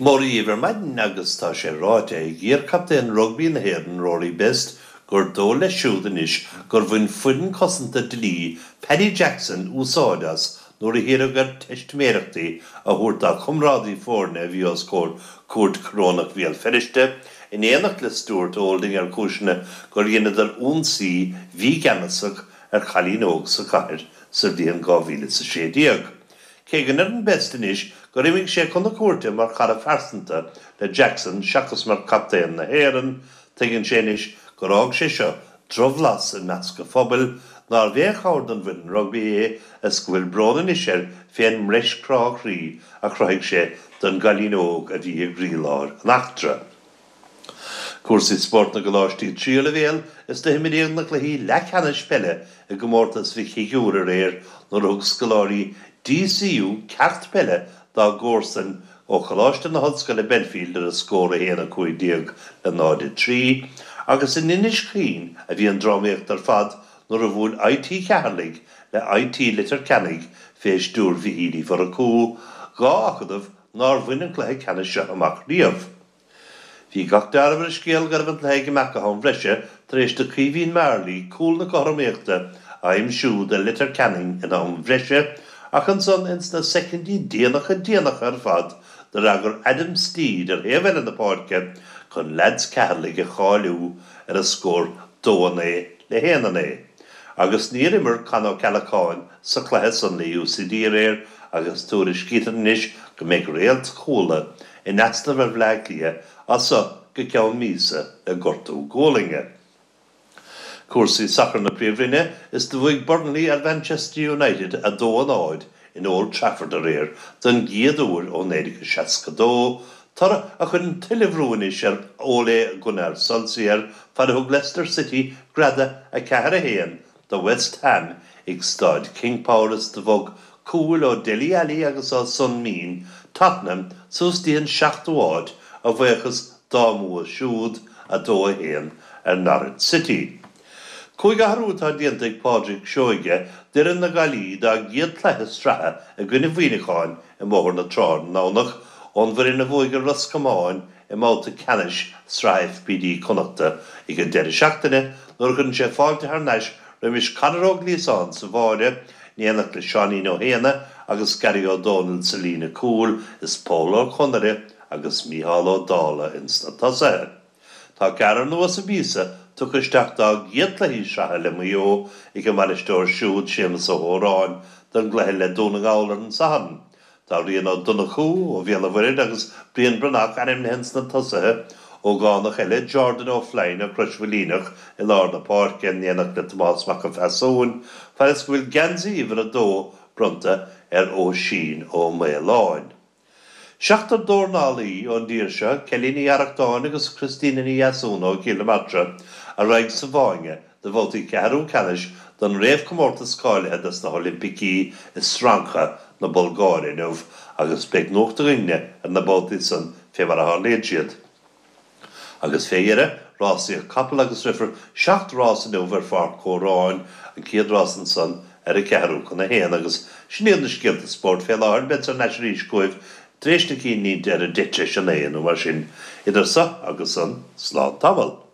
Mora dhíbh ar maidin agus tá sé ráite ag iar-chaptaen rugbaí na hÉireann, Rory Best, gur dóigh leis siúd anois gur bhain foireann cosanta dlí Paddy Jackson úsáid as nuair a hiarradh air teistiméireachtaí a thabhairt dá chomrádaí foirne a bhí os comhair Cúirt Chorónach Bhéal Feirste in éineacht le Stuart Olding ar chúiseanna gur dheineadar ionsaí mhígheanasach ar chailín óg sa chathair sa bhliain 2016. Cé go ndeireann Best anois gur imigh sé chun na cúirte mar chara phearsanta le Jackson seachas mar chaptaen na hÉireann, tuigeann sé anois gur fhág sé seo drochbhlas i measc an phobail, nárbh aon chabhair don bhfoireann rugbaí é is go bhfuil brón anois air fén mbreis crá chroí a chruthaigh sé don gcailín óg a bhí i gcroílár an eachtra. Cúrsaí spóirt na gcoláistí tríú leibhéal is do himríodh na cluichí leathcheannais peile i gcomórtas Mhic Shigiúir aréir nuair a thug scoláirí DCU ceacht peile dá gcomharsain ó Choláiste na hOllscoile Belfield ar an scór 1, 15 le 0, 3 agus in Inis Caoin a bhí an drámaíocht ar fad nuair a bhuail IT Cheatharlaigh le IT Leitir Ceanainn fé stiúir Mhichíl Uí Mhurchú, 2 acadamh nár bhain an cluiche ceannais seo amach riamh. Bhí gach dealramh ar an scéal go raibh an cluiche ag imeacht go ham bhreise tar éis do Caoimhín Marley cúl na cothromaíochta a aimsiú do Leitir Ceanainn in am bhreise ach ansan ins na soicindí déanacha déanacha ar fad d'fhreagair Adam Steed ar thaobh eile na páirce chun leaids Cheatharlaigh a cháiliú ar an scór 2 9 le 1 9. Agus níor imir Con Ó Ceallacháin sa chluiche san le UCD aréir agus tuairiscítear anois go mbeidh réalt Chuala in easnamh ar Bhleá Cliath as so go ceann míosa le gortú gualainne. Cúrsaí sacair na Príomhroinne is do bhuaigh Burnley ar Mhanchester United 2, 0 in Old Trafford aréir don gcéad uair ó 1962, toradh a chuireann tuilleadh bhrú anois ar Ole Gunnar Solskjaer fad a thug Leicester City greadadh 4, 1 do West Ham ag Staid King Power is do bhog cúil ó Dele Alli agus ó Son Min Tottenham suas dtí an seachtú háit a bhuíochas dá mbua siúd, 2, 1, ar Norwich City. Cúig athrú atá déanta ag Pádraic Seoige d'fhoireann na Gaillimhe dá gcéad chluiche sraithe i gcoinne Mhuineacháin i mBóthar na Trá ar an nDomhnach ón bhfoireann a bhuaigh ar Ros Comáin i mbabhta ceannais Sraith FBD Connachta ag an deireadh seachtaine nuair a chuireann sé fáilte thar n-ais roimis Conor Ó Gliasáin sa bháire in éineacht le Seáinín Ó hÉanna agus Gary Ó Dónaill sa líne cúil is Pól Ó Conaire agus Mícheál Ó Dálaigh ins na tosaithe. Tá ceathrar nua sa bpíosa tugtha isteach dá gcéad cluichí sraithe le Maigh Eo ag a mbainisteoir siúd Séamus Ó hÓráin don gcluiche le Dún na nGall ar an Satharn. Tá Rian Ó Donnchú ó Bhéal an Mhuirthead agus Brian Breathnach ainmnithe ins na tosaithe, ógánach eile, Jordan Ó Floinn ó Chrois Mhaoilíneach i lár na páirce in éineacht le Tomás Mac an Phasúin, fad is go bhfuil geansaí uimhir a dó bronnta ar Oisín Ó Maoláin. Seachtar dornálaí ón dtír seo, Kelly Ní Arrachtáin agus Christina Ní Dheasúna ó Chill na Martra, a raghaidh sa bhfáinne do bhabhtaí ceathrú ceannais don réamhchomórtas cáilithe dos na hOilimpicí i Strandja na Bulgáire inniu agus beidh nuacht againne ar na babhtaí san fé mar a tharlaíonn siad. Agus fé dheireadh, rásaíodh capall agus rithfear 7 rás inniu ar Pháirc Chóráin, an chéad rás ansan ar a ceathrú chun a haon. Agus sin iad na scéalta spóirt fé láthair, beadsa thar n-ais arís chugaibh tar éis na cinnlínte ar a deich tar éis a naoi nó mar sin. Idir so agus san, slán tamall.